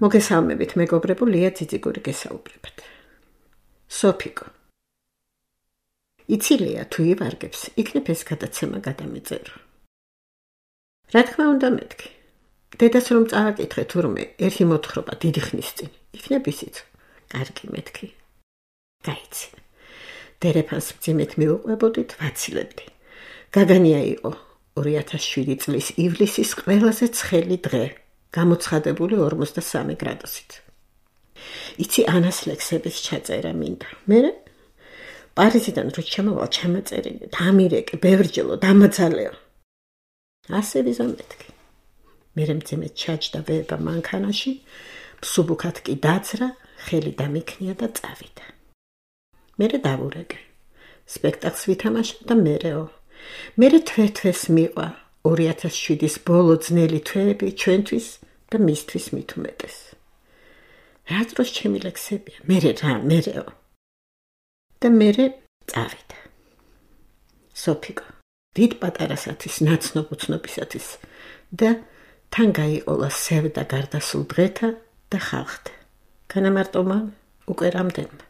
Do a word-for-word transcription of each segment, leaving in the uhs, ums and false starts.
მოგესალმებით, მეგობრებო, ლია ძიძიგური გესაუბრებათ. სოფიკო. იცი ლია, თუ ივარგებს, იქნებ ეს გადაცემა გადამეწერო. რა თქმა უნდა მეთქი. დედას რომ წააკითხე თურმე, ერთი მოთხრობა დიდი ხნის წინ, იქნებ ისიც. კარგი მეთქი. გაიცი. დერეფანს მძიმედ მიუყვებოდით, ვაცილებდი. გაგანია იყო ორი ათას შვიდი წლის ივლისის ყველაზე ცხელი დღე, გამოცხადებული ორმოცდასამი გრადუსით. იცი ანას ლექსების ჩაწერა მინდა. მერე პარიზიდან რო ჩამოვალ ჩამაწერილი, დამირეკე, ბევრჯელო, დამაძალეო. ასე ვიზამეთქი. მერე მძიმედ ჩაჯდა ვება მანქანაში, მსუბუქად კი დაძრა, ხელი დამიქნია და წავიდა. მერე დავურეკე. სპექტაკლს ვითამაშა და მერეო. მერე თვე-თვეს მიყვა ორი ათას შვიდის ბოლო ძნელი თვეები ჩვენთვის და მისთვის მით უმეტეს. რა დროს ჩემი ლექსებია, მერე რა, მერეო. და მერე წავიდა. სოფიკო, დიდ პატარასათვის, ნაცნობ უცნობისათვის და თან გაიყოლა სევდა გარდასულ დღეთა და ხალხთა. განამარტო მან უკვე რამდენმა.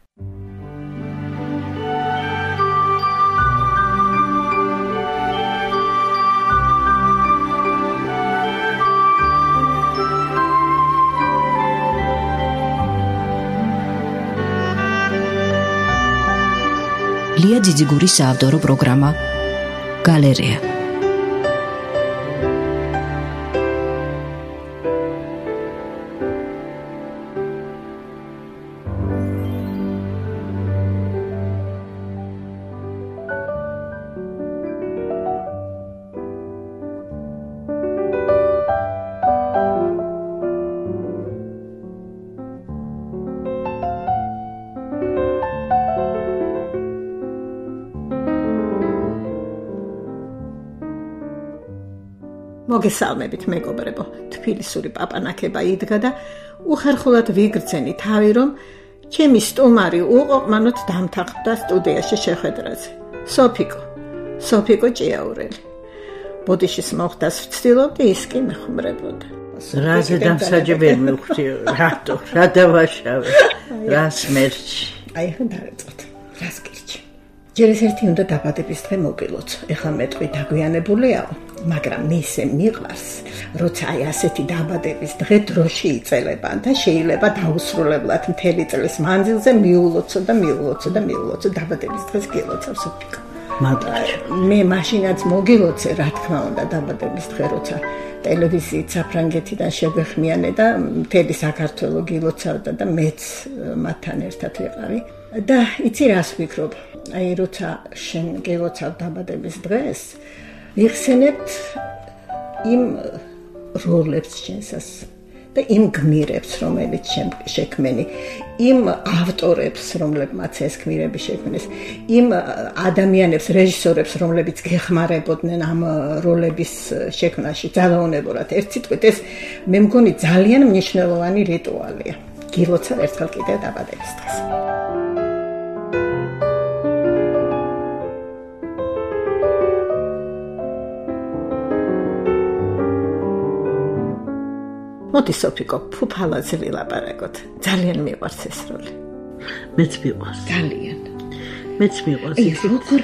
ლია ძიძიგურის საავტორო პროგრამა გალერეა. მოგესალმებით, მეგობრებო, თბილისური პაპანაკება იდგა და უხერხულად ვიგრძენი თავი, რომ ჩემი სტუმარი უყოყმანოდ დამთანხმდა სტუდიაში შეხვედრაზე. სოფიკო, სოფიკო ჭიაურელი. ბოდიშის მოხდას ვცდილობდი, ის კი მეხმრებოდა. რაზე დამსაჯებელი მივხვდი, რატო, რა დავაშავე, რას მერჩი. აი, ხან დარეწოთ, რას გირჩი. ჯერ ეს ერთი უნდა დაბადების დღე მოგილოცო. ეხლა მეტყვი დაგვიანებულიაო. მაგრამ მისე მიყვარს, როცა აი ასეთი დაბადების დღე დროში იწელება და შეიძლება დაუსრულებლად მთელი წლის მანძილზე მიულოცო და მიულოცო და მიულოცო დაბადების დღეს გილოცავ სოფიკო. მე მაშინაც მოგილოცე, რა თქმა უნდა, დაბადების დღე, როცა ტელევიზიით საფრანგეთიდან შეგვეხმიანე და მთელი საქართველო გილოცავდა და მეც მათთან ერთად ვიყავი. და იცი რას ვფიქრობ? აი როცა შენ გილოცავ დაბადების დღეს, ვიხსენებთ იმ როლებს შენსას და იმ გმირებს, რომელიც შექმენი, იმ ავტორებს, რომლებმაც ეს გმირები შექმნეს, იმ ადამიანებს, რეჟისორებს, რომლებიც გეხმარებოდნენ ამ როლების შექმნაში ძალაუნებურად. ერთ სიტყვით, ეს მე მგონი ძალიან მნიშვნელოვანი რიტუალია. გილოცავ ერთხელ კიდევ დაბადების დღეს. მოდი სოფიკო, ფუფალაზე ვილაპარაკოთ. ძალიან მიყვარს ეს როლი. მეც მიყვარს. ძალიან. მეც მიყვარს. ეს როგორ,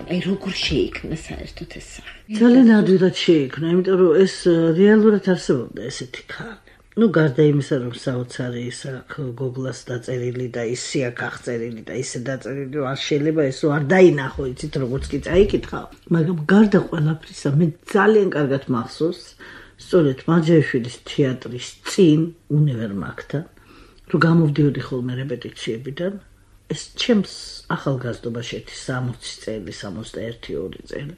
აი როგორ შეიქმნა საერთოდ ეს სახე? ძალიან ადვილად შეიქმნა, იმიტომ რომ ეს რეალურად არსებობდა ესეთი ქალი. ну გარდა იმისა, რომ საოცარი ის აქვს გოგლას დაწერილი და ისე აქვს აღწერილი და ისე დაწერილი, რომ არ შეიძლება ესო არ დაინახო, იცით, როგორც კი წაიკითხავ. მაგრამ გარდა ყველაფრისა, მე ძალიან კარგად მახსოვს სწორედ მაჯაიშვილის თეატრის წინ უნივერმაგთან, რომ გამოვდიოდი ხოლმე რეპეტიციებიდან, ეს ჩემს ახალგაზრდობაში სამოცი წელი, სამოცდაერთი ორი წელი.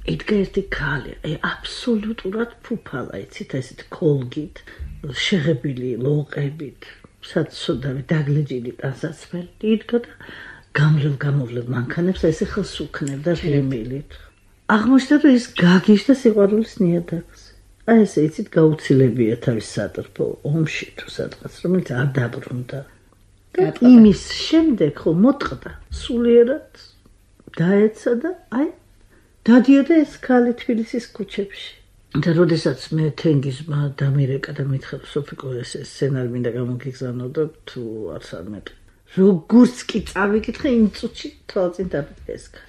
იდგა ერთი ქალი, აი აბსოლუტურად ფუფალა, იცით, ესეთ კოლგით, შეღებილი ლოყებით, საცოდავი დაგლეჯილი ტანსაცმელი, იდგა და გამლევ გამოვლევ მანქანებს ესე ხელს უქნევდა ღიმილით. აღმოჩნდა, რომ ის გაგიშდა სიყვარულის ნიადაგს. აი ესე იცით გაუცილებია თავის სატრფო ომში თუ სადღაც, რომელიც არ დაბრუნდა. იმის შემდეგ ხო მოტყდა სულიერად დაეცა და აი დადიოდა ეს ქალი თბილისის ქუჩებში. და როდესაც მე თენგიზმა დამირეკა და მითხრა სოფიკო ეს სცენარი მინდა გამოგიგზავნო და თუ არც არ მეტყვი. როგორც კი წავიკითხე იმ წუთში თვალწინ დაფესკა.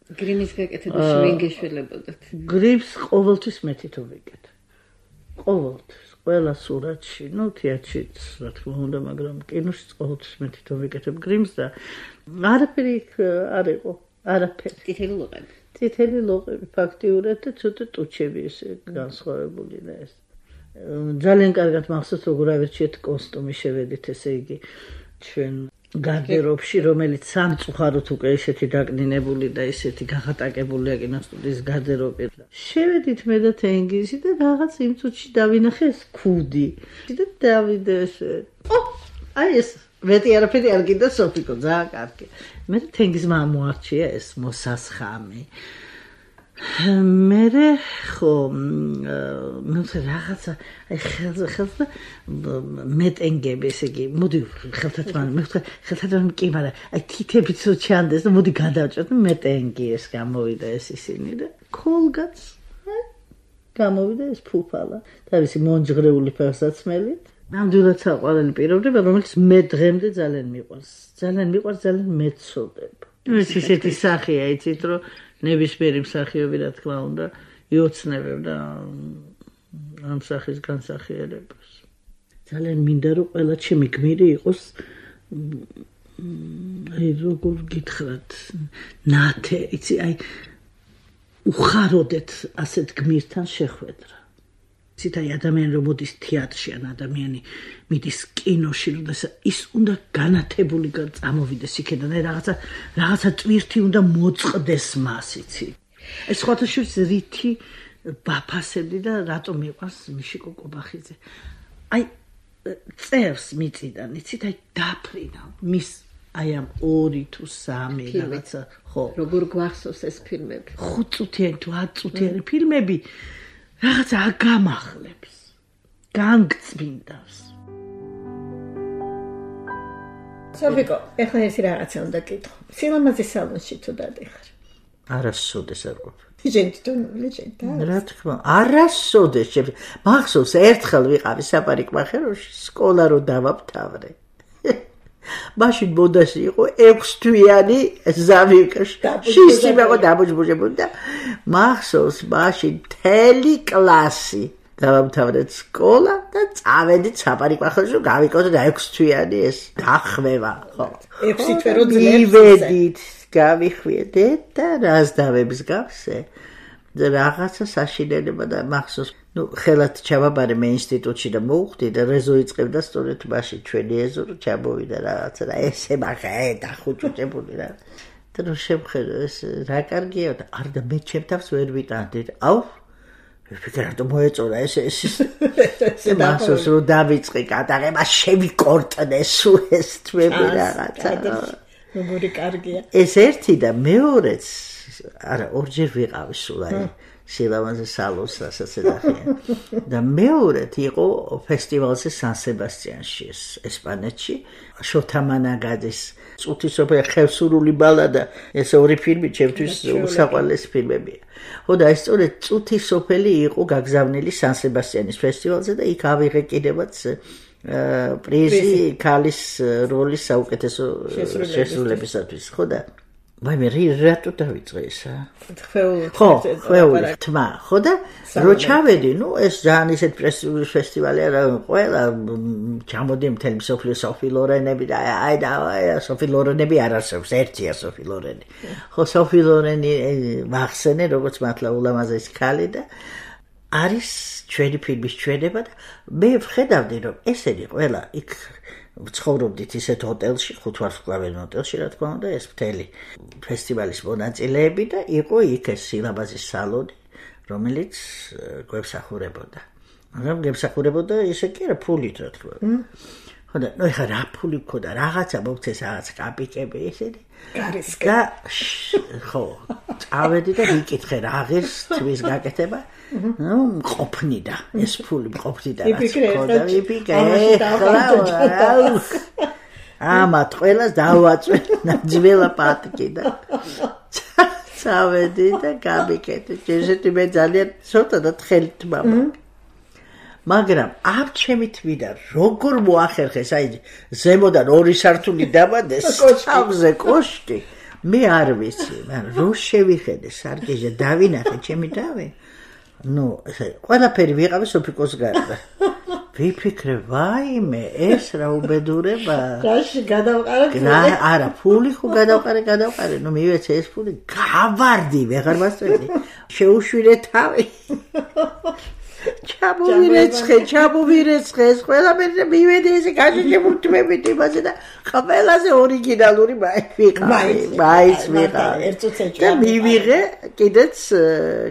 გრიმის გაკეთებაში ვინ გეშველებოდათ? გრიმს ყოველთვის მე თვითონ ვიკეთე. ყოველთვის, ყველა სურათში, ну თეატრშიც, რა თქმა უნდა, მაგრამ კინოშიც ყოველთვის მე თვითონ ვიკეთებ გრიმს და არაფერი არ იყო, არაფერი. წითელი ლოყები. წითელი ლოყები ფაქტიურად და ცოტა ტუჩები ესე განსხვავებული და ეს. ძალიან კარგად მახსოვს როგორ ავირჩიეთ კოსტუმი შევედით ესე იგი ჩვენ გარდერობში, რომელიც სამწუხაროდ უკვე ესეთი დაკნინებული და ესეთი გაღატაკებულია კინოსტუდიის გარდერობი. შევედით მე და თენგიზი და რაღაც იმ წუთში დავინახე ეს ქუდი. და დავიდე ესე. ო, აი ეს მეტი არაფერი არ გინდა სოფიკო, ძალიან კარგი. მე და თენგიზმა მოარჩია ეს მოსასხამი. მერე ხო მე რაღაცა აი ხელზე ხელზე მეტენგები ესე იგი მოდი ხელთათმან მე ხელთათმან კი მაგრამ აი თითებიც ჩანდეს და მოდი გადავჭოთ მეტენგი ეს გამოვიდა ეს ისინი და ქოლგაც გამოვიდა ეს ფუფალა და ისე მონჯღრეული ფერსაცმელით ნამდვილად საყვარელი პიროვნება რომელიც მე დღემდე ძალიან მიყვარს ძალიან მიყვარს ძალიან მეცოდებ ეს ისეთი სახეა იცით რომ ნებისმიერი მსახიობი რა თქმა უნდა იოცნებებდა ამ სახის განსახიერებას. ძალიან მინდა რომ ყველა ჩემი გმირი იყოს აი როგორ გითხრათ ნათე, იცი აი უხაროდეთ ასეთ გმირთან შეხვედრა. იცით აი ადამიანი რომ მოდის თეატრში ან ადამიანი მიდის კინოში, როდესაც ის უნდა განათებული წამოვიდეს იქიდან, აი რაღაცა რაღაცა ტვირთი უნდა მოწყდეს მას, იცი. ეს სხვათა შორის რითი ბაფასები და რატომ მიყვარს მიშიკო კობახიძე. აი წერს მიწიდან, იცით, აი დაფრინა მის აი ამ ორი თუ სამი რაღაცა ხო. როგორ გვახსოვს ეს ფილმები? ხუთ წუთიანი თუ ათ წუთიანი ფილმები რაღაცა აგამახლებს, განგწმინდავს. სოფიკო, ეხლა ეს რაღაცა უნდა კითხო. სილამაზის სალონში თუ დადიხარ? არასოდეს არ ყოფილი. ჟენტონული ჟენტა. რა თქმა, არასოდეს. მახსოვს ერთხელ ვიყავი საპარიკმახეროში, სკოლა რო დავამთავრე. მაშინ მოდაში იყო ექვსთვიანი ზავიკაში. შისი მეგო დამოჯბუჟებული და მახსოვს მაშინ მთელი კლასი დავამთავრეთ სკოლა და წავედით საპარიკმახერში გავიკეთოთ ექვსთვიანი ეს დახვევა, ხო. ექვსი თვე რო ძლებს. ივედით გავიხვიეთ და რას დავებს გავსე. რაღაცა საშინელება და მახსოვს ну ხელად ჩავაბარე მე ინსტიტუტში და მოვხვდი და რეზო იწყებდა სწორედ მაშინ ჩვენი ეზო რომ ჩამოვიდა რაღაცა და ესე მაგე დახუჭუჭებული რა და რომ შევხედო ეს რა კარგია და არ და მე ჩემთავს ვერ ვიტანდი აუ ვიფიქრე რომ მოეწონა ეს ეს ეს მახსოვს რომ დავიწყე გადაღება შევიკორტნე სულ ეს თვები რაღაცა როგორი კარგია ეს ერთი და მეორეც არა ორჯერ ვიყავი სულ აი სილამაზის სალონს რასაც ეძახიან და მეორედ იყო ფესტივალზე სან სებასტიანში ესპანეთში შოთა მანაგაძის წუთისოფელი ხევსურული ბალადა ეს ორი ფილმი ჩემთვის უსაყვარლესი ფილმებია ხო და ეს სწორედ წუთისოფელი იყო გაგზავნილი სან სებასტიანის ფესტივალზე და იქ ავიღე კიდევაც პრიზი ქალის როლის საუკეთესო შესრულებისათვის ხო და ვაი მე რატო დავიწყე ესა? ხვეული ხო, ხვეული თმა, ხო და რო ჩავედი, ნუ ეს ძალიან ისეთ პრესტიჟული ფესტივალი არა, ყველა ჩამოდი მთელი სოფლიო სოფი ლორენები და აი და სოფი ლორენები არ არსებობს, ერთია სოფი ლორენი. ხო, სოფი ლორენი ვახსენე, როგორც მართლა ულამაზესი ქალი და არის ჩვენი ფილმის ჩვენება და მე ვხედავდი რომ ესენი ყველა იქ ცხოვრობდით ისეთ ჰოტელში, ხუთვარსკვლავიან ჰოტელში, რა თქმა უნდა, ეს მთელი ფესტივალის მონაწილეები და იყო იქ ეს სილამაზის სალონი, რომელიც გვემსახურებოდა. მაგრამ გვემსახურებოდა ისე კი არა ფულით, რა თქმა უნდა. ხო და ნუ ეხა რა ფული მქონდა, რაღაცა მოგცეს, რაღაც კაპიკები ესენი. და ხო, წავედი და ვიკითხე რა ღირს თვის გაკეთება. ნუ მყოფნიდა ეს ფული მყოფნიდა რაც ხოდა ვიფიქრე ამათ ყველას დავაწვე ძველა პატკი და წავედი და გამიკეთე. ჯერჯერობით მე ძალიან ცოტა და თხელით მამა. მაგრამ ამ ჩემი თვიდა როგორ მოახერხეს, აი ზემოდან ორი სართული დაბადეს, თავზე კოშკი. მე არ ვიცი, მაგრამ რო შევიხედე სარკეზე დავინახე ჩემი თავი. ნუ, ყველაფერი ვიყავი სოფიკოს გარდა. ვიფიქრე, ვაიმე, ეს რა უბედურება. გაში გადავყარე. არა, ფული ხო გადავყარე, გადავყარე. ნუ მივეცე ეს ფული, გავარდი, ვეღარ მასწვედი. შეუშვირე თავი. ჩამოვირეცხე, ჩამოვირეცხე, ეს ყველაფერი მივედი ესე გაშეშებულთმებით იმაზე და ყველაზე ორიგინალური ვიყავი, მაიც ვიყავი. ერთ წუთში და მივიღე კიდეც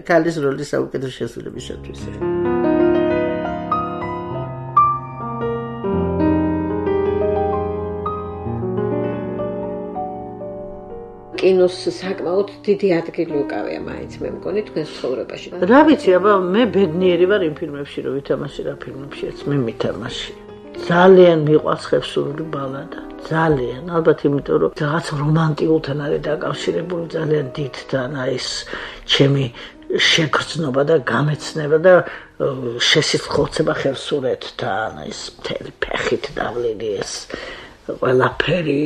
ქალის როლის საუკეთესო შესრულებისათვის. კინოს საკმაოდ დიდი ადგილი უკავია მაინც მე მგონი თქვენს ცხოვრებაში. რა ვიცი, აბა მე ბედნიერი ვარ იმ ფილმებში, რომ ვითამაში რა ფილმებშიც მე მითამაში. ძალიან მიყვარს ხევსურული ბალადა. ძალიან, ალბათ იმიტომ რომ რაღაც რომანტიკულთან არის დაკავშირებული ძალიან დიდთან, აი ეს ჩემი შეგრძნობა და გამეცნება და შესიცხოცება ხევსურეთთან, ეს მთელი ფეხით დავლილი ეს ყველაფერი.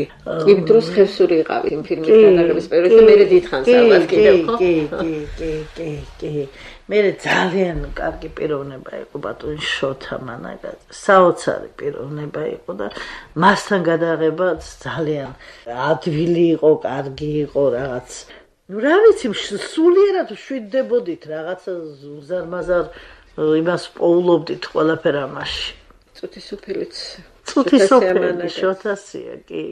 იმ დროს ხევსური იყავი იმ ფილმის გადაღების პერიოდში და მე დიდხანს ალბათ კიდევ ხო? კი, კი, კი, კი, კი. მე ძალიან კარგი პიროვნება იყო ბატონი შოთა მანაგაძე. საოცარი პიროვნება იყო და მასთან გადაღებაც ძალიან ადვილი იყო, კარგი იყო რაღაც. ნუ რა ვიცი, სულიერად შვიდდებოდით რაღაცა ზარმაზარ იმას პოულობდით ყველაფერ ამაში. წუთი სოფელიც წუთი სოფელი შოთასია კი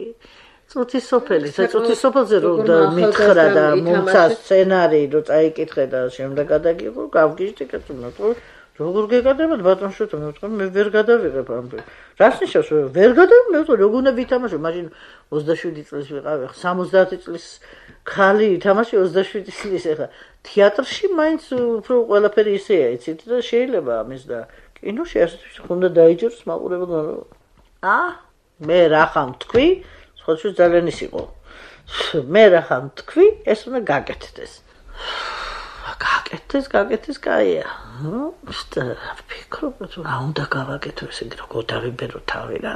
წუთი სოფელი წუთი სოფელზე რომ მითხრა და მომცა სცენარი რომ წაიკითხე და შემდეგ გადაგიღო გავგიჟდი კეთილად როგორ გეკადრებოდ ბატონ შოთა მე ვთქვი მე ვერ გადავიღებ ამ რას ნიშნავს ვერ გადავიღებ მე ვთქვი როგორ უნდა ვითამაშო მაშინ ოცდაშვიდი წლის ვიყავი სამოცდაათი წლის ხალი ითამაში ოცდაშვიდი წლის ეხა თეატრში მაინც უფრო ყველაფერი ისეა იცით და შეიძლება ამის და კინოში ასე უნდა დაიჯეროს მაყურებელმა ა მე რა ხამ თქვი სხვათა ძალიან ის იყო მე რა ხამ თქვი ეს უნდა გაკეთდეს გაკეთდეს გაკეთდეს კაია ნუ ვფიქრობ რომ რა უნდა გავაკეთო ესე როგორ დავიბერო თავი რა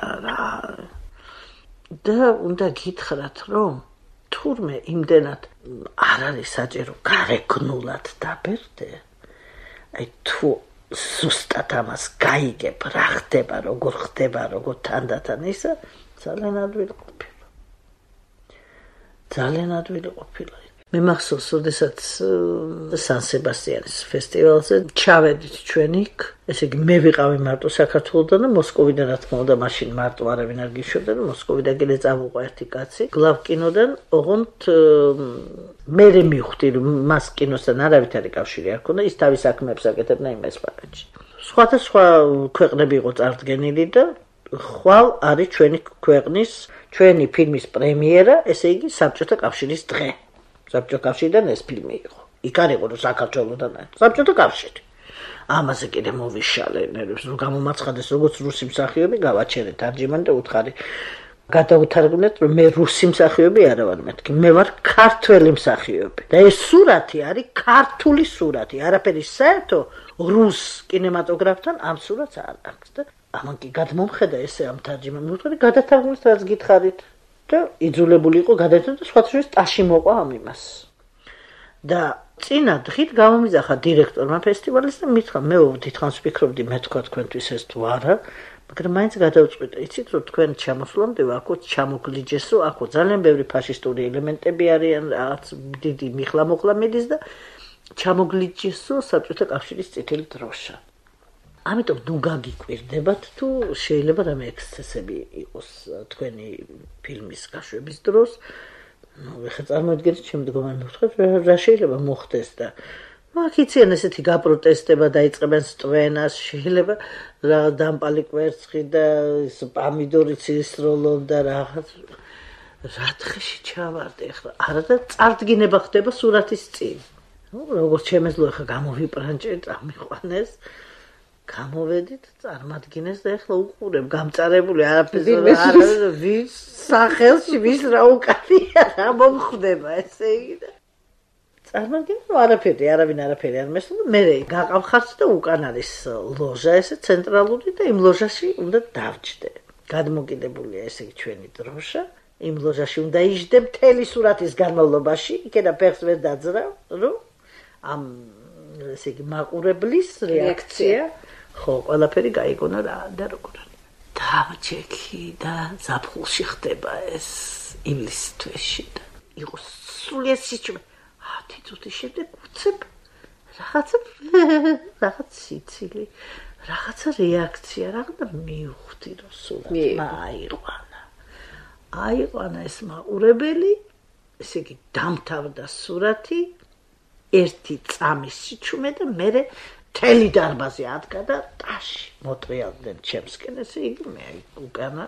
და უნდა გითხრათ რომ თურმე იმდენად არ არის საჭირო გარეგნულად დაბერდე აი თუ ზუსტად ამას გაიგებ რა ხდება როგორ ხდება როგორ თანდათან ისა ძალიან ადვილი ყოფილა ძალიან ადვილი ყოფილა მე მახსოვს როდესაც სან სებასტიანის ფესტივალზე ჩავედით ჩვენ იქ ესე იგი მე ვიყავი მარტო საქართველოსდან და მოსკოვიდან რა თქმა უნდა მაშინ მარტო არავინ არ გიშვებდა და მოსკოვიდან კიდე წავუყვა ერთი კაცი გლავ კინოდან ოღონდ მე მივხვდი რომ მას კინოსთან არავითარი კავშირი არ ქონდა ის თავის საქმეებს აკეთებდა იმ ესპანეთში სხვადასხვა ქვეყნები იყო წარდგენილი და ხვალ არის ჩვენი ქვეყნის ჩვენი ფილმის პრემიერა ესე იგი საბჭოთა კავშირის დღე საბჭოთა კავშირიდან ეს ფილმი იყო იქ არ იყო რომ საქართველოსდან საბჭოთა კავშირი ამაზე კიდე მოვიშალე ნერვებს რომ გამომაცხადეს როგორც რუსი მსახიობი გავაჩერე თარჯიმანი და უთხარი გადაუთარგმნეთ რომ მე რუსი მსახიობი არა ვარ მეთქი მე ვარ ქართველი მსახიობი და ეს სურათი არის ქართული სურათი არაფერი საერთო რუს კინემატოგრაფთან ამ სურათს არ აქვს და ამან კი გადმომხედა ესე ამ თარჯიმანს მე ვთქვი გადათარგმნით რაც გითხარით და იძულებული იყო გადაეცემა და სხვათა შორის ტაში მოყვა ამ იმას და წინა დღით გამომიძახა დირექტორმა ფესტივალის და მითხრა მე დიდხანს ვფიქრობდი მე თქვა თქვენთვის ეს თუ არა მაგრამ მაინც გადავწყვიტე იცით რომ თქვენ ჩამოსვლამდე აქ ჩამოგლიჯეს რომ აქ ძალიან ბევრი ფაშისტური ელემენტები არიან რაღაც დიდი მიხლა-მოხლა მიდის და ჩამოგლიჯეს რომ საბჭოთა კავშირის წითელი დროშა ამიტომ ნუ გაგიკვირდებათ თუ შეიძლება რამე ექსცესები იყოს თქვენი ფილმის გაშვების დროს ნუ ეხლა წარმოიდგინეთ ჩემ მდგომარ მოვთხოვთ რა შეიძლება მოხდეს და აქ იციან ესეთი გაპროტესტება დაიწყებენ სტვენას შეიძლება რა დამპალი კვერცხი და ის პამიდორიც ისროლონ და რაღაც რა დღეში ჩავარდი ეხლა არა და წარდგინება ხდება სურათის წინ ნუ როგორც შემეძლო ეხლა გამოვიპრანჭე წამიყვანეს გამოვედით წარმადგინეს და ეხლა უყურებ გამწარებული არაფერზე არა ვის სახელში ვის რა უკანია რა მომხდება ესე იგი და წარმოგიდგენ, რომ არაფერი, არავინ არაფერი არ მესწოდა, მე გაყავხართ და უკან არის ლოჟა, ესე ცენტრალური და იმ ლოჟაში უნდა დავჯდე. გადმოკიდებულია ესე იგი ჩვენი დროშა, იმ ლოჟაში უნდა იჯდე მთელი სურათის განმავლობაში, იქედა ფეხს ვერ დაძრავ, რომ ამ ესე იგი მაყურებლის რეაქცია, ხო, ყველაფერი გაიგონა რა და როგორ არის. დავჭექი და ზაფხულში ხდება ეს ივლისის თვეში და იყო სრულიად სიჩუმე. ათი წუთის შემდეგ უცებ რაღაცა რაღაც სიცილი, რაღაცა რეაქცია, რაღაცა მივხვდი რომ სულაც აიყვანა. აიყვანა ეს მაყურებელი, ესე იგი დამთავრდა სურათი, ერთი წამის სიჩუმე და მე მთელი დარბაზი ადგა და ტაში მოტრიალდნენ ჩემსკენ, ესე იგი მე უკანა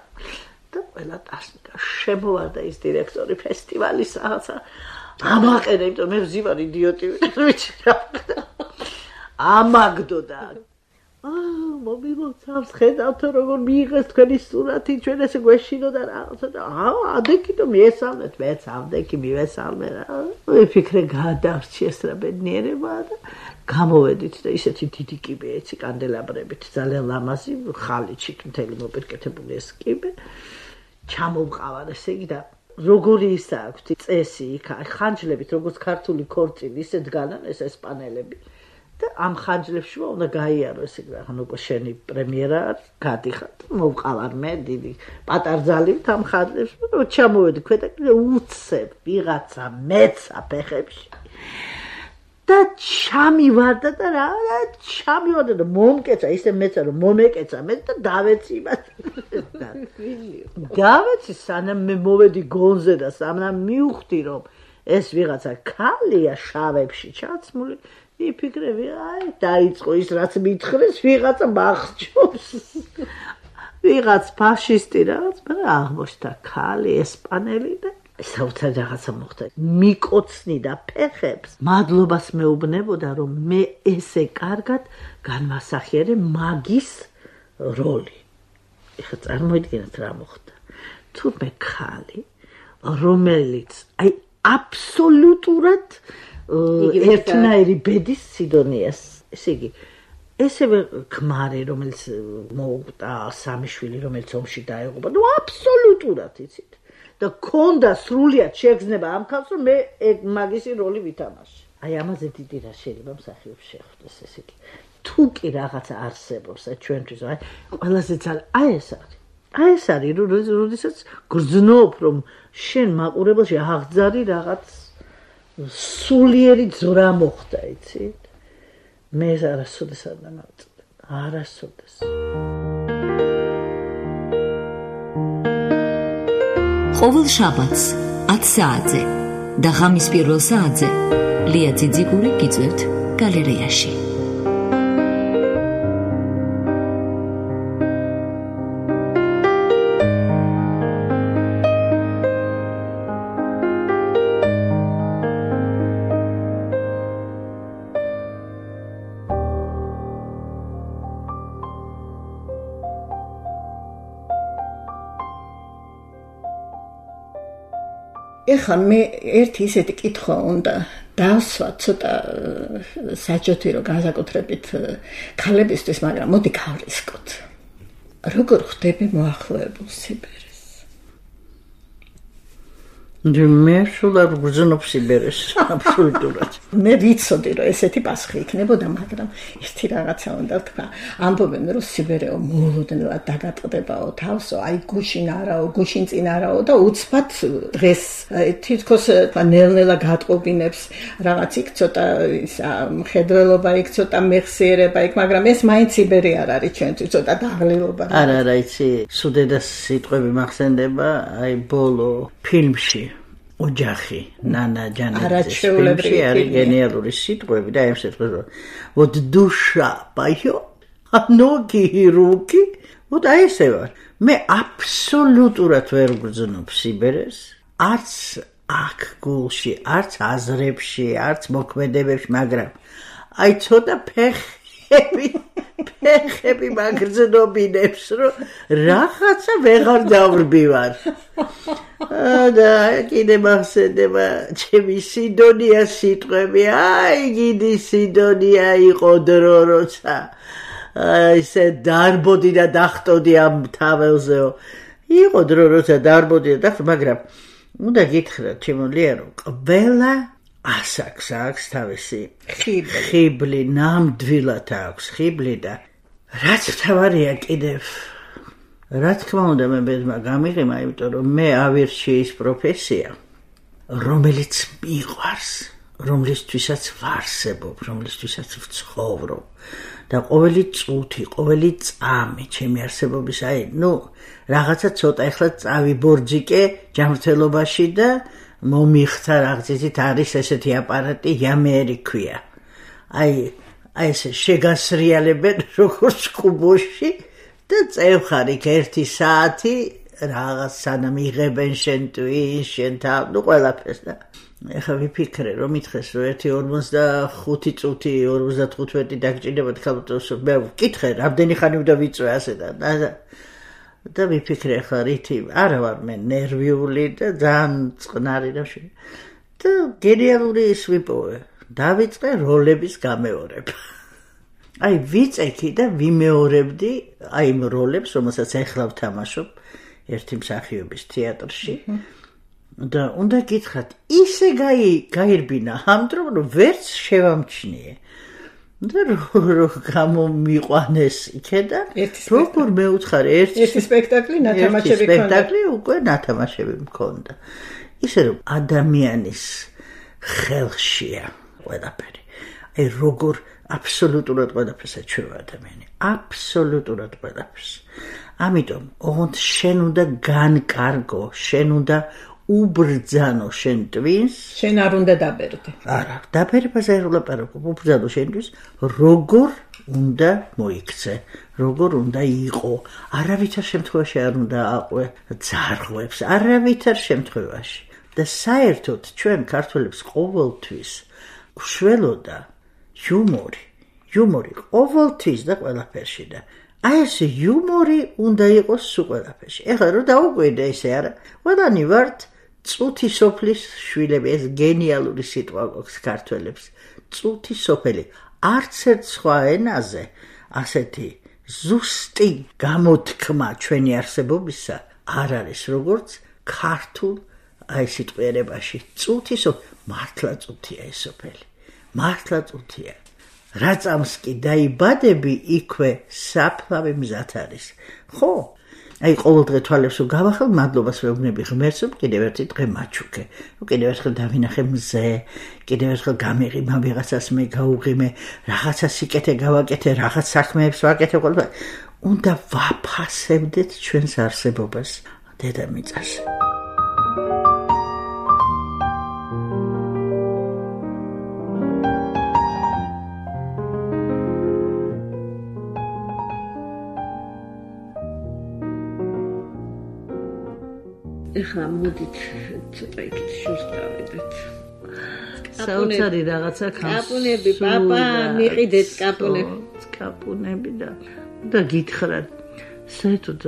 და ყველა ტაში და შემოვარდა ის დირექტორი ფესტივალის რაღაცა ამაყენა, იმიტომ მე ვზივარ იდიოტი ვიცი რა. ამაგდო და აა მობილოცავს ხედავთ როგორ მიიღეს თქვენი სურათი, ჩვენ ესე გვეშინო და რაღაცა და აა ადექი და მიესალმეთ, მეც ამდექი მივესალმე რა. ვიფიქრე გადარჩი ეს რა ბედნიერება და გამოვედით და ისეთი დიდი კიბე ეცი კანდელაბრებით, ძალიან ლამაზი, ხალიჩით მთელი მოპირკეთებული ეს კიბე. ჩამოვყავარ ესე იგი და როგორი ის აქვს წესი იქ ხანჯლებით, როგორც ქართული ქორწილი, ისე დგანან ეს ესპანელები. და ამ ხანჯლებში უნდა გაიარო ესე იგი, ანუ უკვე შენი პრემიერა არის, გადიხარ, მოვყავარ მე დიდი პატარძალივთ ამ ხანჯლებში, რომ ჩამოვედი ქვედა კიდე უცებ ვიღაცა მეცა ფეხებში. და ჩამივარდა და რა და ჩამივარდა და მომკეცა, ისე მეცა რომ მომეკეცა მე და დავეცი იმას. დავეცი სანამ მე მოვედი გონზე და სანამ მივხვდი რომ ეს ვიღაცა ქალია შავებში ჩაცმული, ვიფიქრე, აი, დაიწყო ის რაც მითხრეს, ვიღაცა მახჩობს. ვიღაც ფაშისტი რაღაც, მაგრამ აღმოჩნდა ქალი ესპანელი და საოცარი რაღაცა მოხდა. მიკოცნი და ფეხებს მადლობას მეუბნებოდა, რომ მე ესე კარგად განმასახიერე მაგის როლი. ეხლა წარმოიდგინეთ რა მოხდა. თურმე ქალი, რომელიც აი აბსოლუტურად ერთნაირი ბედის სიდონიას, ესე იგი, ესევე ქმარი, რომელიც მოუყვდა სამი შვილი, რომელიც ომში დაეღუპა, ნუ აბსოლუტურად იცით. და ქონდა სრულიად შეგრძნება ამ ქალს, რომ მე მაგისი როლი ვითამაშე. აი ამაზე დიდი რა შეიძლება მსახიობს შეხვდეს, ესე იგი. თუ კი რაღაცა არსებობს ჩვენთვის, აი ყველაზე ძალიან აი ეს არის. აი ეს არის, როდესაც გრძნობ, რომ შენ მაყურებელში აღძარი რაღაც სულიერი ძრა მოხდა, იცით? მე არასოდეს არ დამავწდა. არასოდეს. ყოველ შაბათს ათი საათზე და ღამის პირველ საათზე ლია ძიძიგური გიწევთ გალერეაში. ეხლა მე ერთი ისეთი კითხვა უნდა დავსვა ცოტა საჯოთი რომ განსაკუთრებით ქალებისთვის, მაგრამ მოდი გავრისკოთ. როგორ ხდები მოახლოებულ სიბერეს? მე სულ არ ვგრძნობ სიბერეს, აბსოლუტურად. მე ვიცოდი რომ ესეთი პასუხი იქნებოდა, მაგრამ ერთი რაღაცა უნდა თქვა. ამბობენ რომ სიბერეო მოულოდნელად დაგატყდებაო თავსო, აი გუშინ არაო, გუშინ წინ არაო და უცბად დღეს თითქოს ნელ-ნელა გატყობინებს რაღაც იქ ცოტა ისა მხედველობა იქ ცოტა მეხსიერება იქ, მაგრამ ეს მაინც სიბერი არ არის ჩვენთვის, ცოტა დაღლილობა. არა, არა, იცი, სუდედას სიტყვები მახსენდება, აი ბოლო ფილმში ოჯახი ნანა ჯანაძის ფილმში არის გენიალური სიტყვები და ამ სიტყვებს вот душа поёт, а ноги и руки, вот აი ესე ვარ. მე აბსოლუტურად ვერ ვგრძნობ სიბერეს, არც აქ გულში, არც აზრებში, არც მოქმედებებში, მაგრამ აი ცოტა ფეხები ეხები მაგრძნობინებს, რომ რაღაცა ვეღარ დავრბივარ. და კიდე მახსენდება ჩემი სიდონია სიტყვები, აი გიდი სიდონია იყო დრო, როცა ისე დარბოდი და დახტოდი ამ თაველზეო. იყო დრო, როცა დარბოდი და დახტოდი, მაგრამ უნდა გითხრათ, ჩემო ლია, რომ ყველა ასაკს აქვს თავისი ხიბლი, ნამდვილად აქვს ხიბლი და რაც თავარია კიდევ რა თქმა უნდა მე ბედმა გამიღიმა, იმიტომ რომ მე ავირჩი ის პროფესია, რომელიც მიყვარს, რომლისთვისაც ვარსებობ, რომლისთვისაც ვცხოვრობ და ყოველი წუთი, ყოველი წამი ჩემი არსებობის, აი, ნუ რაღაცა ცოტა ახლა წავიბორძიკე ჯანმრთელობაში და მომიხსნა რაღაცით არის ესეთი აპარატი, იამერი ქვია. აი, აი ესე შეგასრიალებენ როგორც კუბოში და წევხარ იქ ერთი საათი რაღაც სანამ იღებენ შენ ტვინს, შენ თავ, ნუ ყველაფერს და ეხლა ვიფიქრე რომ მითხეს რომ ერთი ორმოცდახუთი წუთი, ორმოცდათხუთმეტი დაგჭირდება თქალბატონს, მე ვკითხე რამდენი ხანი უნდა ვიწვე ასე და და ვიფიქრე ხა რითი არა ვარ მე ნერვიული და ძალიან წყნარი და და გენიალური ის ვიპოვე დავიწყე როლების გამეორება აი ვიწექი და ვიმეორებდი აი იმ როლებს რომელსაც ახლა ვთამაშობ ერთი მსახიობის თეატრში და უნდა გითხრათ ისე გაირბინა ამ დრო რომ ვერც შევამჩნიე და რო გამომიყვანეს იქედან როგორ მეუცხარე ერთი ერთი სპექტაკლი ნათამაშები ქონდა სპექტაკლი უკვე ნათამაშები მქონდა ისე რომ ადამიანის ხელშია ყველაფერი აი როგორ აბსოლუტურად ყველაფერს ეჩვევა ადამიანი აბსოლუტურად ყველაფერს ამიტომ ოღონდ შენ უნდა განკარგო შენ უნდა უბრძანო შენ ტვინს შენ არ უნდა დაბერდე არა დაბერებას არ ვლაპარაკობ უბრძანო შენთვის როგორ უნდა მოიქცე როგორ უნდა იყო არავითარ შემთხვევაში არ უნდა აყვე ძარღვებს არავითარ შემთხვევაში და საერთოდ ჩვენ ქართველებს ყოველთვის უშველოდა იუმორი იუმორი ყოველთვის და ყველაფერში და აი ეს იუმორი უნდა იყოს სულ ყველაფერში ეხლა რომ დაუკვირდე ესე არა ყველანი ვართ წუთი სოფლის შვილები ეს გენიალური სიტყვა გვაქვს ქართველებს წუთი სოფელი არც ერთ სხვა ენაზე ასეთი ზუსტი გამოთქმა ჩვენი არსებობისა არ არის როგორც ქართულ აი სიტყვიერებაში წუთი სოფელი მართლა წუთია ეს სოფელი მართლა წუთია რა წამს კი დაიბადები იქვე საფლავი მზად არის ხო აი ყოველ დღე თვალებს რომ გავახელ მადლობას ვეუბნები ღმერთს რომ კიდევ ერთი დღე მაჩუქე რომ კიდევ ერთხელ დავინახე მზე კიდევ ერთხელ გამიღიმე ვიღაცას მე გაუღიმე რაღაცა სიკეთე გავაკეთე რაღაც საქმეებს ვაკეთე ყველა უნდა ვაფასებდეთ ჩვენს არსებობას დედამიწაზე ეხლა მოდით ცოტა იქით შურს დავიდეთ. საოცარი რაღაცა ქანს. კაპუნები, პაპა, მიყიდეთ კაპუნები. კაპუნები და და გითხრათ. საერთოდ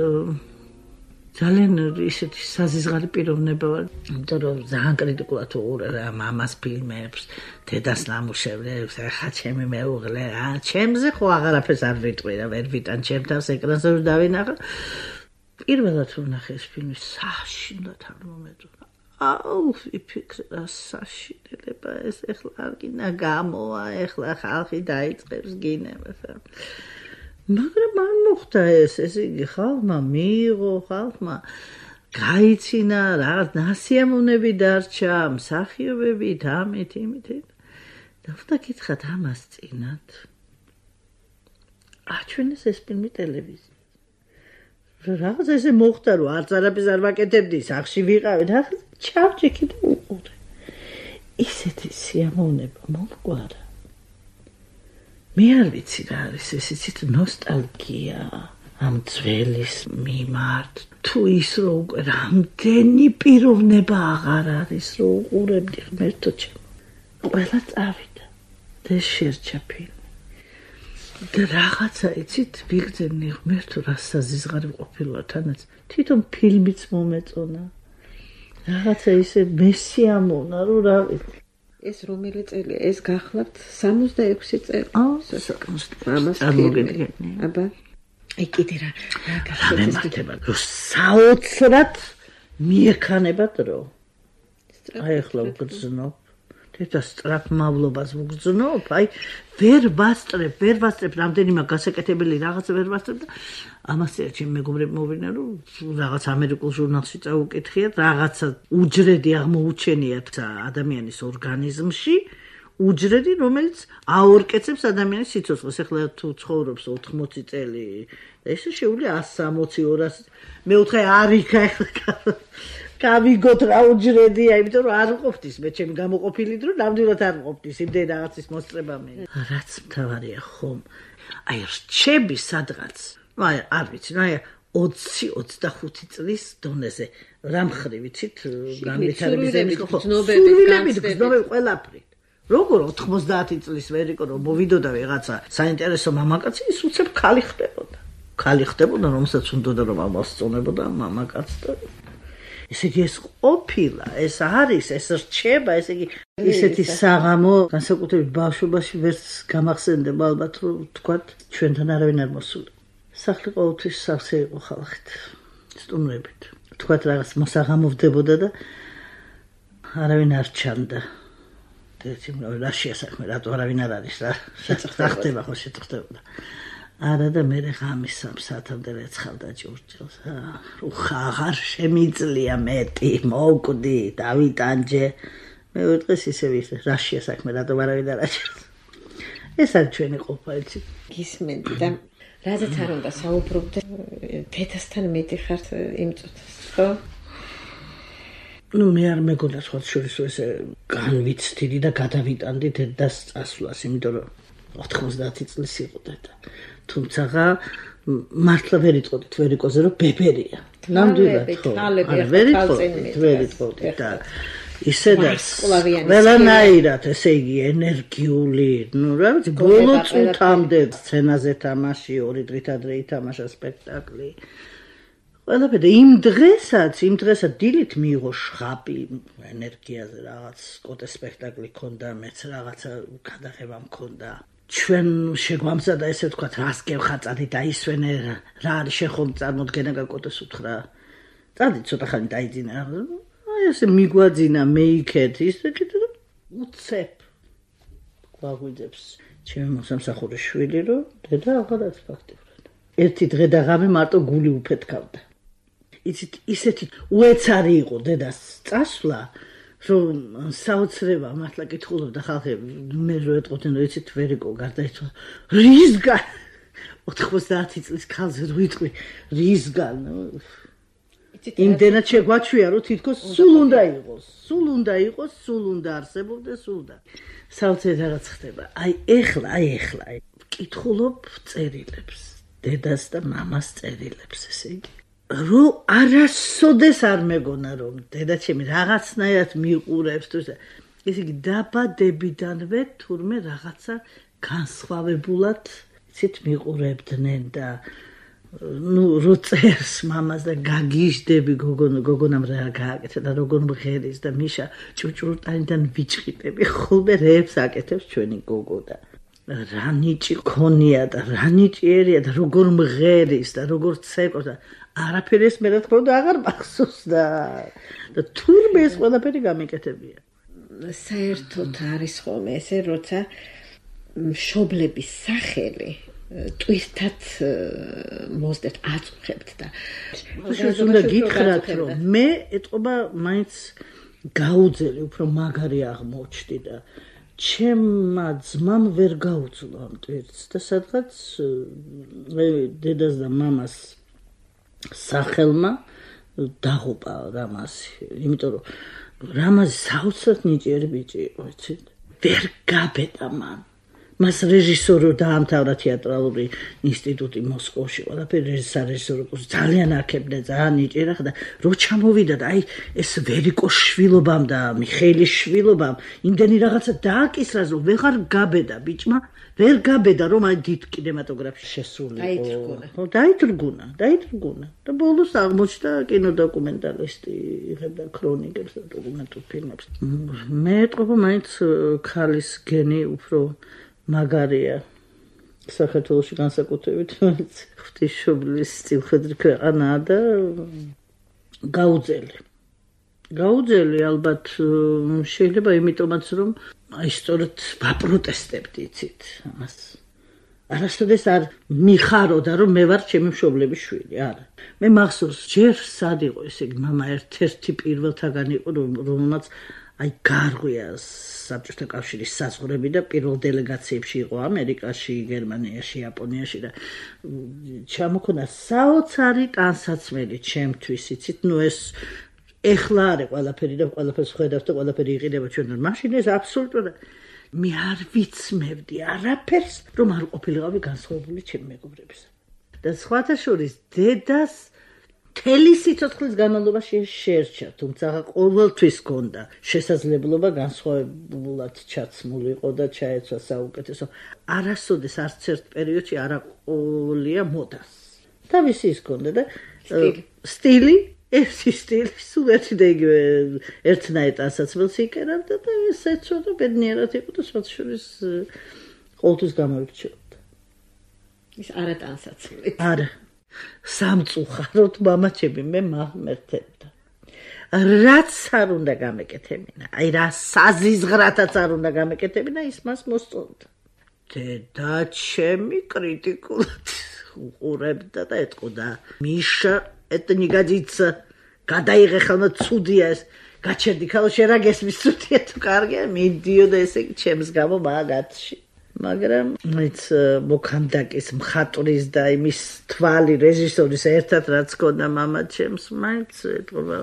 ძალიან ისეთი საზიზღარი პიროვნება ვარ. იმიტომ რომ ძალიან კრიტიკულად უყურებ ამ ამას ფილმებს, დედას ნამუშევრებს, ახლა ჩემი მეუღლე, აა ჩემზე ხო აღარაფერს არ ვიტყვი და ვერ ვიტან ჩემ თავს ეკრანზე რომ დავინახო. პირველად ვნახე ეს ფილმი საშინლად არ მომეწონა. აუ, ვიფიქრე რა საშინელება ეს ეხლა არ გინდა გამოვა, ეხლა ხალხი დაიწყებს გინებას. მაგრამ არ მოხდა ეს, ეს იგი ხალხმა მიიღო, ხალხმა გაიცინა, რაღაც ნასიამოვნები დარჩა, მსახიობებით, ამით, იმით. და უნდა გითხრათ ამას წინათ. აჩვენეს ეს ფილმი ტელევიზიაში. რაღაც ესე მოხდა რომ არც არაფერს არ ვაკეთებდი სახში ვიყავი და ჩავჭიქი და უყურე ისეთი სიამოვნება მომგვარა მე არ ვიცი რა არის ეს იცით ნოსტალგია ამ ძველის მიმართ თუ ის რო უკვე რამდენი პიროვნება აღარ არის რო უყურებდი ღმერთო ჩემო ყველა წავიდა და შერჩა ფილმი და რაღაცა იცით ვიგრძენი ღმერთო რა საზიზღარი ყოფილა თანაც თვითონ ფილმიც მომეწონა რაღაცა ისე მესიამონა რომ რა ეს რომელი წელია ეს გახლავთ სამოცდაექვსი წელი აუ წარმოგიდგენია აბა აი კიდე რა რა გახსოვთ რომ საოცრად მიექანებათ რომ აი ახლა ვგრძნობ და სწრაფმავლობას ვგრძნობ, აი ვერ ვასწრებ, ვერ ვასწრებ რამდენიმე გასაკეთებელი რაღაცა ვერ ვასწრებ და ამასია ჩემ მეგობრებმა მოვინა რომ რაღაც ამერიკულ ჟურნალში წაუკითხიათ, რაღაცა უჯრედი აღმოუჩენიათ ადამიანის ორგანიზმში, უჯრედი, რომელიც აორკეცებს ადამიანის სიცოცხლეს. ახლა თუ ცხოვრობს ოთხმოცი წელი და ესე შეუძლია one sixty, two hundred მეოთხე არ იქა ახლა გავიგოთ რა უჯრედია, იმიტომ რომ არ ყოფნის მე ჩემი გამოყოფილი დრო, ნამდვილად არ ყოფნის იმდენ რაღაცის მოსწრება მე. რაც მთავარია ხომ. აი რჩები სადღაც. ну აი არ ვიცი, ну აი ოცი ოცდახუთი წლის დონეზე რა მხრივ ვიცით, განვითარების ემის ხო? სურვილებით, გზნობები ყველაფრით. როგორ ოთხმოცდაათი წლის ვერიკო რომ მოვიდოდა ვიღაცა საინტერესო მამაკაცი, ის უცებ ქალი ხდებოდა. ქალი ხდებოდა, რომელსაც უნდოდა რომ ამასწონებოდა მამაკაც და ესე იგი ეს ყოფილა, ეს არის, ეს რჩება, ესე იგი ისეთი საღამო განსაკუთრებით ბავშვობაში ვერც გამახსენდება ალბათ რომ თქვათ ჩვენთან არავინ არ მოსულა. სახლი ყოველთვის სავსე იყო ხალხით, სტუმრებით. თქვათ რაღაც მოსაღამოვდებოდა და არავინ არ ჩანდა. და ეცი რაშია საქმე, რატო არავინ არ არის რა? შეწახდება ხო შეწახდებოდა. არა და მე ღამის სამ საათამდე რეცხავდა ჭურჭელს. უხა აღარ შემიძლია მეტი, მოკვდი, დავიტანჯე. მეორე დღეს ისევ ისე რაშია საქმე, რატომ არავინ არ აჩერს. ეს არის ჩვენი ყოფა, იცი. გისმენდი და რაზეც არ უნდა საუბრობდე, თეთასთან მეტი ხართ იმ წუთას, ხო? ну მე არ მეგონა სხვა შორის ესე განვიცდიდი და გადავიტანდი დედას წასვლას, იმიტომ რომ ოთხმოცდაათი წლის იყო დედა. თუმცა მართლა ვერ იტყოდით ვერიკოზე რომ ბებერია. ნამდვილად ხო. არა ვერ იტყოდით, ვერ იტყოდით და ისე და ყველანაირად, ესე იგი ენერგიული, ну რა ვიცი, ბოლო წუთამდე სცენაზე თამაში, ორი დღით ადრე ითამაშა სპექტაკლი. ყველაფერი იმ დღესაც, იმ დღესაც დილით მიიღო შხაპი ენერგიაზე რაღაც კოტე სპექტაკლი ქონდა, მეც რაღაცა გადაღება მქონდა. ჩვენ შეგვამზადა ესე ვთქვათ, რას გევხაწადი დაისვენე, რა არის შენ ხომ წარმოდგენა გაკოტეს უთხრა. წადი ცოტა ხანი დაიძინა. აი ესე მიგვაძინა მეიქეთ, ისე კიდე უცებ. გვაგვიძებს ჩემი მოსამსახურის შვილი, რომ დედა აღარაც ფაქტიურად. ერთი დღე და ღამე მარტო გული უფეთქავდა. იცით, ისეთი უეცარი იყო დედას წასვლა, რომ საოცრება მართლა კითხულობდა ხალხი, მე რო ეტყოდნენ, რომ იცით ვერიკო გარდაიცვალა. რისგან? ოთხმოცდაათი წლის ქალზე რო იტყვი, რისგან? იმდენად შეგვაჩვია, რომ თითქოს სულ უნდა იყოს, სულ უნდა იყოს, სულ უნდა არსებობდეს, სულ და საოცრად რაღაც ხდება. აი ეხლა, აი ეხლა, კითხულობ წერილებს, დედას და მამას წერილებს, ესე იგი. რო არასოდეს არ მეგონა რომ დედაჩემი რაღაცნაირად მიყურებს თუ ესე იგი დაბადებიდანვე თურმე რაღაცა განსხვავებულად იცით მიყურებდნენ და ну რო წერს მამას და გაგიჟდები გოგონა გოგონამ რა გააკეთა და როგორ მღერის და მიშა ჭუჭურტანიდან ვიჭყიტები ხოლმე რეებს აკეთებს ჩვენი გოგო და რა ნიჭი ქონია და რა ნიჭიერია და როგორ მღერის და როგორ ცეკოს და არაფერი ეს მე რა თქმა უნდა აღარ მახსოვს და და თურმე ეს ყველაფერი გამიკეთებია. საერთოდ არის ხოლმე ესე, როცა მშობლების სახელი ტვირთად მოსდეთ აწუხებთ და შუს უნდა გითხრათ რომ მე ეტყობა მაინც გაუძელი უფრო მაგარი აღმოჩნდი და ჩემმა ძმამ ვერ გაუძლო ამ ტვირთს და სადღაც დედას და მამას სახელმა დაღუპა რამაზი, იმიტომ რომ რამაზი საოცრად ნიჭიერი ბიჭი იყო, იცით? ვერ გაბედა მან. მას რეჟისორო დაამთავრა თეატრალური ინსტიტუტი მოსკოვში. ყველაფერი სარეჟისორო კურსი ძალიან აქებდა, ძალიან იჭერა და რო ჩამოვიდა და აი ეს ვერიკოს შვილობამ და მიხეილის შვილობამ იმდენი რაღაცა დააკისრა, რომ ვეღარ გაბედა ბიჭმა, ვერ გაბედა რომ აი დიდ კინემატოგრაფში შესულიყო. დაითრგუნა. ხო, დაითრგუნა, დაითრგუნა. და ბოლოს აღმოჩნდა კინოდოკუმენტალისტი, იღებდა ქრონიკებს და დოკუმენტურ ფილმებს. მე ეტყობა მაინც ქალის გენი უფრო მაგარია საქართველოში განსაკუთრებით ღვთისმშობლის სტილხედრი ქვეყანაა და გაუძელი. გაუძელი ალბათ შეიძლება იმიტომაც რომ აი სწორედ ვაპროტესტებდი იცით ამას. არასოდეს არ მიხაროდა რომ მე ვარ ჩემი მშობლების შვილი, არა. მე მახსოვს ჯერ სად იყო ესე იგი მამა ერთ-ერთი პირველთაგან იყო რომელმაც აი გარღვია საბჭოთა კავშირის საზღვრები და პირველ დელეგაციებში იყო ამერიკაში, გერმანიაში, იაპონიაში და ჩამოქონა საოცარი ტანსაცმელი ჩემთვის, იცით, ნუ ეს ეხლა არის ყველაფერი და ყველაფერს ხედავთ და ყველაფერი იყიდება ჩვენ. მაშინ ეს აბსოლუტურად მე არ ვიცმევდი არაფერს, რომ არ ყოფილიყავი განსხვავებული ჩემი მეგობრებისა. და სხვათა შორის დედას მთელი სიცოცხლის განმავლობაში შეერჩა, თუმცა ყოველთვის ჰქონდა შესაძლებლობა განსხვავებულად ჩაცმულიყო და ჩაეცვა საუკეთესო. არასოდეს არც ერთ პერიოდში არ აყოლია მოდას. თავისი ის ჰქონდა და სტილი ერთი სტილი, სულ ერთი და იგივე ერთნაირ ტანსაცმელს იკერავდა და ეს ეცვა და ბედნიერად იყო და სხვათა შორის ყოველთვის გამორჩეოდა. ის არა ტანსაცმელი. არა. სამწუხაროდ მამაჩემი მე მაღმერთებდა. რაც არ უნდა გამეკეთებინა, აი რა საზიზღრათაც არ უნდა გამეკეთებინა, ის მას მოსწონდა. დედა ჩემი კრიტიკულად უყურებდა და ეტყოდა, მიშა это не годится. გადაიღე ხოლმე ცუდია ეს. გაჩერდი ხოლმე შენ რა გესმის ცუდია თუ კარგია, მიდიო და ესე იგი ჩემს გამო მაგათში. მაგრამ მეც მოქანდაკის მხატვრის და იმის თვალი რეჟისორის ერთად რაც ქონდა მამა ჩემს მაინც ეტყობა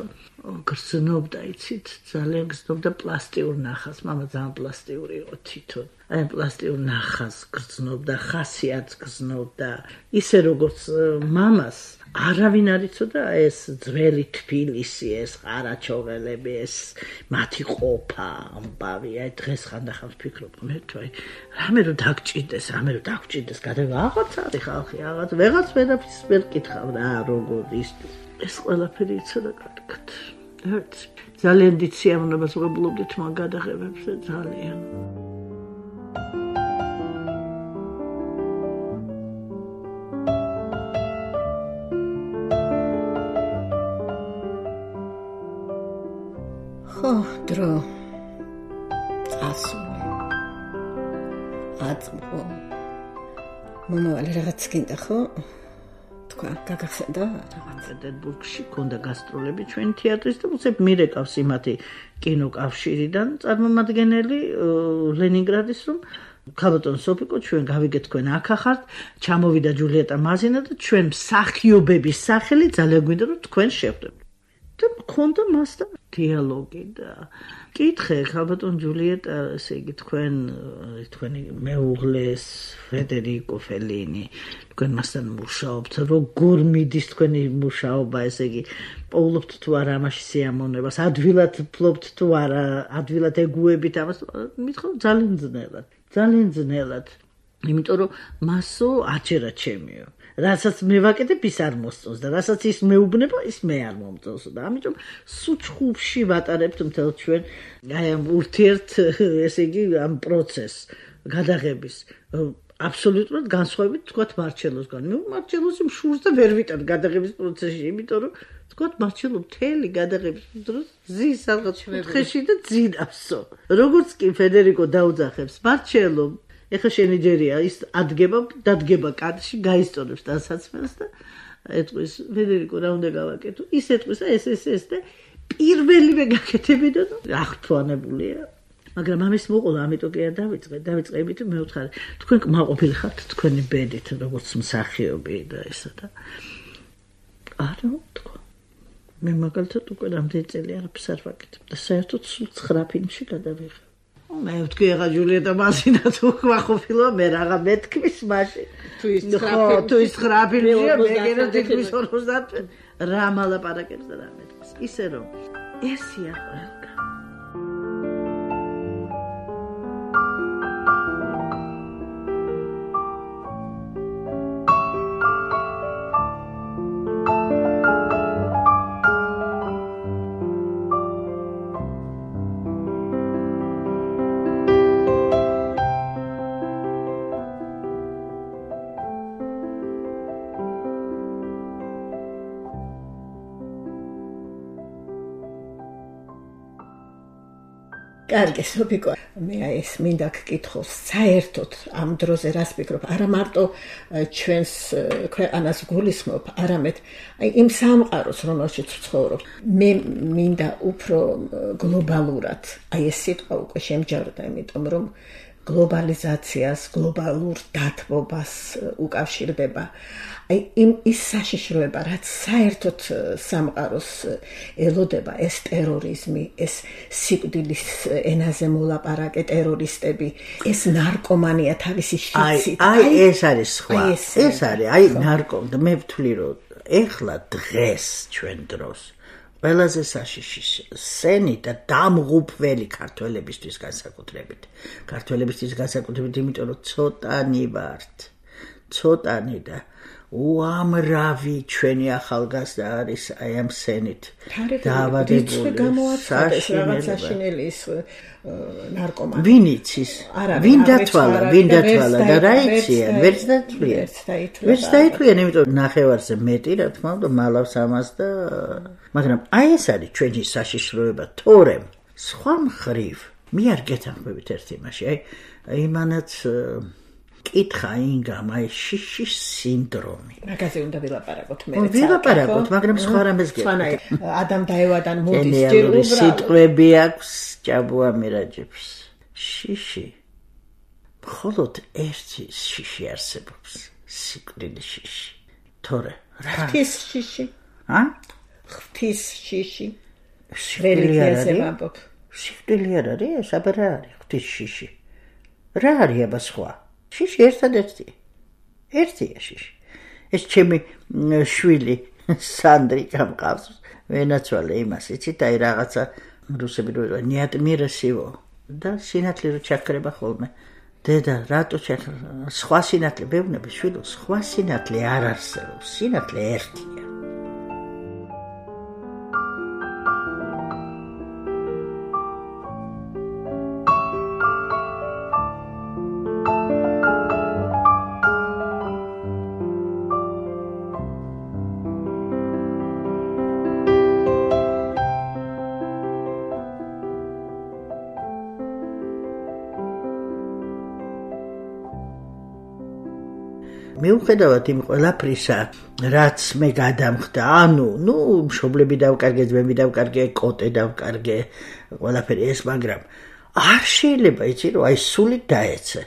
გრძნობდა იცით ძალიან გრძნობდა პლასტიურ ნახას მამა ძალიან პლასტიური იყო თვითონ აი პლასტიურ ნახას გრძნობდა ხასიათს გრძნობდა ისე როგორც მამას არავინ არ იცოდა ეს ძველი თბილისი ეს ყარაჩოღელები ეს მათი ყოფა ამბავი აი დღეს ხანდახან ვფიქრობ მე თუ აი რამე რომ დაგჭირდეს რამე რომ დაგჭირდეს გადება აღარც არის ხალხი აღარც ვეღარც ვერაფერს ვერ კითხავ რა როგორ ის ეს ყველაფერი იცოდა კარგად ერთ ძალიან დიდ სიამოვნებას ვღებულობდით მაგ გადაღებებზე ძალიან ხო, დრო ასული აწმყო მომავალი რაღაც გინდა ხო? თქვა, გაგახსენდა რაღაც პეტერბურგში ქონდა გასტროლები ჩვენ თეატრის და უცებ მირეკავს იმათი კინოკავშირიდან წარმომადგენელი ლენინგრადის რომ ქალბატონ სოფიკო ჩვენ გავიგეთ თქვენ აქ ახართ ჩამოვიდა ჯულიეტა მაზინა და ჩვენ მსახიობების სახელი ძალიან გვინდა რომ თქვენ შევხვდებით და მქონდა მასთან დიალოგი და კითხე ქალბატონ ჯულიეტა ესე იგი თქვენ თქვენი მეუღლეს ფედერიკო ფელინი თქვენ მასთან მუშაობთ როგორ მიდის თქვენი მუშაობა ესე იგი პოულობთ თუ არა ამაში სიამოვნებას ადვილად ფლობთ თუ არა ადვილად ეგუებით ამას მithom ძალიან ძნელად ძალიან ძნელად იმიტომ რომ მასო აჭერა ჩემიო რასაც მე ვაკეთებ ის არ მოსწონს და რასაც ის მეუბნება ის მე არ მომწონს და ამიტომ სუჩხუბში ვატარებთ მთელ ჩვენ აი ამ ურთიერთ ესე იგი ამ პროცესს გადაღების აბსოლუტურად განსხვავებით თქვათ მარჩელოსგან მე მარჩელოსი მშურს და ვერ ვიტან გადაღების პროცესში იმიტომ რომ თქვათ მარჩელო მთელი გადაღების დროს ზის რაღაც კუთხეში და ძინავსო როგორც კი ფედერიკო დაუძახებს მარჩელო ეხა შენი ჯერია ის ადგება დადგება კადრში გაისწორებს დასაცმელს და ეტყვის ფედერიკო რა უნდა გავაკეთო ის ეტყვის და ეს ეს ეს და პირველივე გაკეთებინა და აღთვალებულია მაგრამ ამის მოყოლა ამიტომ კი არ დავიწყე დავიწყე იმიტომ მე ვთხარი თქვენ კმაყოფილი ხართ თქვენი ბედით როგორც მსახიობი და ესა და არა თქვა მე მაგალითად უკვე რამდენი წელი არაფერს არ ვაკეთებ და საერთოდ სულ ცხრა ფილმში გადავიღე მე ვთქვი ახლა ჯულიეტა მასინა თუ ვახოფილო მე რაღა მეთქმის მაშინ თუ ის თუ ის ხრაფილია მე გერო თითქმის ორმოცდაათი რა მალაპარაკებს და რა მეთქმის ისე რომ ესია ყველგან კარგი, სოფიკო, მე ეს მინდა გკითხოს, საერთოდ ამ დროზე რას ვფიქრობ, არა მარტო ჩვენს ქვეყანას გულისხმობ, არამედ აი იმ სამყაროს, რომელშიც ვცხოვრობ. მე მინდა უფრო გლობალურად, აი ეს სიტყვა უკვე შემჯავრდა, იმიტომ რომ გლობალიზაციას, გლობალურ დათბობას უკავშირდება. აი იმ ის საშიშროება, რაც საერთოდ სამყაროს ელოდება, ეს ტერორიზმი, ეს სიკვდილის ენაზე მოლაპარაკე ტერორისტები, ეს ნარკომანია თავისი შიცით. აი, აი ეს არის სხვა. ეს არის, აი ნარკომანია. მე ვთვლი რომ ეხლა დღეს ჩვენ დროს ყველაზე საშიში სენი და დამღუპველი ქართველებისთვის განსაკუთრებით. ქართველებისთვის განსაკუთრებით, იმიტომ რომ ცოტანი ვართ. ცოტანი და უამრავი ჩვენი ახალგაზრდა არის აი ამ სენით დაავადებული. გამოაცხადეს რაღაც საშინელი ის ნარკომანი. ვინ იცის? ვინ დათვალა, ვინ დათვალა და რა იციან? ვერც დათვლიან. ვერც დაითვლიან, იმიტომ ნახევარზე მეტი, რა თქმა უნდა, მალავს ამას და მაგრამ აი ეს არის ჩვენი საშიშროება, თორემ სხვა მხრივ მე არ გეთანხმებით ერთ იმაში, აი იმანაც კითხა ინგამ აი შიშის სინდრომი. მაგაზე უნდა ვილაპარაკოთ მე. ვილაპარაკოთ, მაგრამ სხვა რამეს გეტყვით. ადამ დაევადან მოდის ჯერ უბრალოდ სიტყვები აქვს ჭაბუა მირაჯებს. შიში. მხოლოდ ერთი შიში არსებობს, სიკვდილის შიში. თორე ღვთის შიში. ა? ღვთის შიში. რელიგიაზე ვამბობ. სიკვდილი არ არის, აბა რა არის ღვთის შიში? რა არის აბა სხვა? შიში ერთადერთია. ერთია შიში. ეს ჩემი შვილი სანდრი გამყავს. ვენაცვალე იმას, იცით, აი რაღაცა რუსები რო ნიატმირესივო და სინათლე რო ჩაქრება ხოლმე. დედა, რატო ჩაქრება? სხვა სინათლე ბევნები შვილო, სხვა სინათლე არ არსებობს. სინათლე ერთია. მიუხედავად იმ ყველაფრისა, რაც მე გადამხდა, ანუ, ნუ, მშობლები დავკარგე, ძმები დავკარგე, კოტე დავკარგე, ყველაფერი ეს, მაგრამ არ შეიძლება იცი, რომ აი სული დაეცე.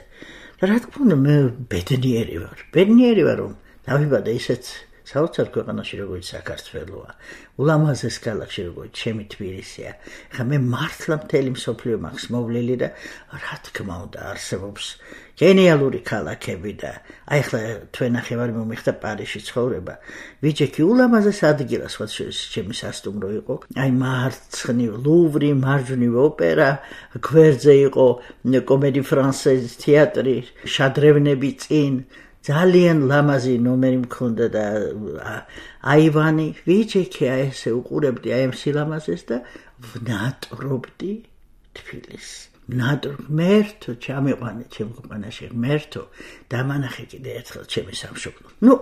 და რა თქმა უნდა, მე ბედნიერი ვარ. ბედნიერი ვარ, რომ დავიბადე ისეთ საოცარ ქვეყანაში, როგორც საქართველოა. ულამაზეს ქალაქში, როგორც ჩემი თბილისია. ხა მე მართლა მთელი მსოფლიო მაქვს მოვლილი და რა თქმა უნდა არსებობს გენიალური ქალაქები და აი ხლა თქვენ ნახევარი მომიხდა პარიზში ცხოვრება. ვიჯექი ულამაზეს ადგილას, სხვა შორის ჩემი სასტუმრო იყო. აი მარცხნივ ლუვრი, მარჯვნივ ოპერა, გვერდზე იყო კომედი ფრანსეზ თეატრი, შადრევნები წინ. ძალიან ლამაზი ნომერი მქონდა და აივანი. ვიჯექი აი ესე უყურებდი აი ამ სილამაზეს და ვნატრობდი თბილისს. ნატო მერთო ჩამიყვანე ჩემ ქვეყანაში მერთო დამანახე კიდე ერთხელ ჩემი სამშობლო. ნუ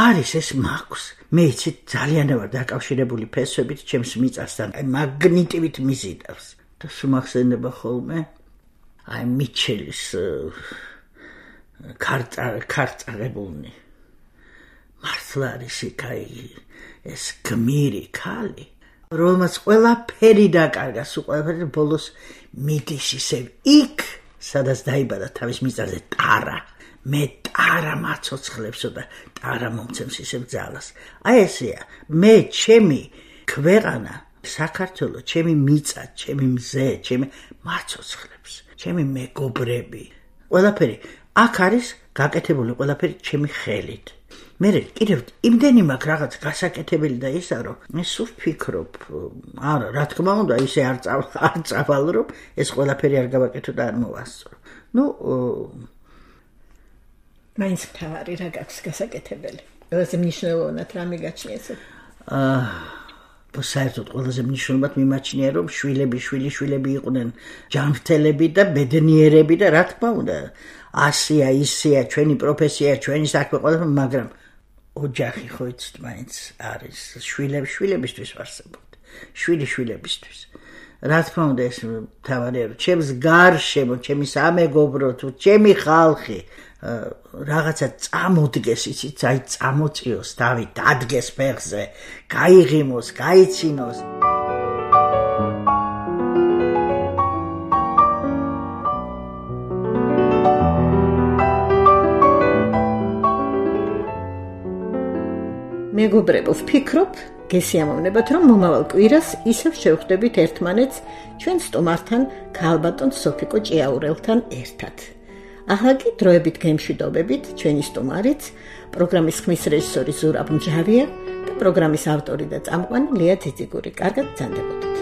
არის ეს მაქვს. მე იცი ძალიან ვარ დაკავშირებული ფესვებით ჩემს მიწასთან. აი მაგნიტივით მიზიდავს. და შემახსენდება ხოლმე აი მიჩელის ქარწა ქარწაღებულნი. მართლა არის იქ აი ეს გმირი ქალი. რომელმაც ყველაფერი დაკარგა, სულ ყველაფერი ბოლოს მიდის ისევ იქ, სადაც დაიბადა თავის მიწაზე ტარა. მე ტარა მაცოცხლებსო და ტარა მომცემს ისევ ძალას. აი ესეა, მე ჩემი ქვეყანა, საქართველო, ჩემი მიწა, ჩემი მზე, ჩემი მაცოცხლებს. ჩემი მეგობრები. ყველაფერი აქ არის გაკეთებული ყველაფერი ჩემი ხელით. მე კიდევ იმდენი მაქვს რაღაც გასაკეთებელი და ისა რომ მე სულ ვფიქრობ, არა, რა თქმა უნდა, ისე არ არ წავალ რომ ეს ყველაფერი არ გავაკეთო და არ მოვასწრო. ნუ მაინც თავარი რა გაქვს გასაკეთებელი. ყველაზე მნიშვნელოვნად რა მიგაჩნიეს? აა საერთოდ ყველაზე მნიშვნელოვნად მიმაჩნია რომ შვილები შვილი შვილები იყვნენ ჯანმრთელები და ბედნიერები და რა თქმა უნდა ასია ისია ჩვენი პროფესია ჩვენი საქმე ყველაფერი მაგრამ ოჯახი ხო იცით მაინც არის შვილები შვილებისთვის ვარსებობთ შვილი შვილებისთვის რა თქმა უნდა ეს თავარია რომ ჩემს გარშემო ჩემი სამეგობრო თუ ჩემი ხალხი რაღაცა წამოდგეს იცით აი წამოწიოს დავი დადგეს ფეხზე გაიღიმოს გაიცინოს მეგობრებო, ვფიქრობ, გესიამოვნებათ, რომ მომავალ კვირას ისევ შევხვდებით ერთმანეთს ჩვენ სტუმართან, ქალბატონ სოფიკო ჭიაურელთან ერთად. ახლა კი დროებით გემშვიდობებით, ჩვენი სტუმარიც, პროგრამის ხმის რეჟისორი ზურაბ მჯავია და პროგრამის ავტორი და წამყვანი ლია ძიძიგური. კარგად გრძანდებოდეთ.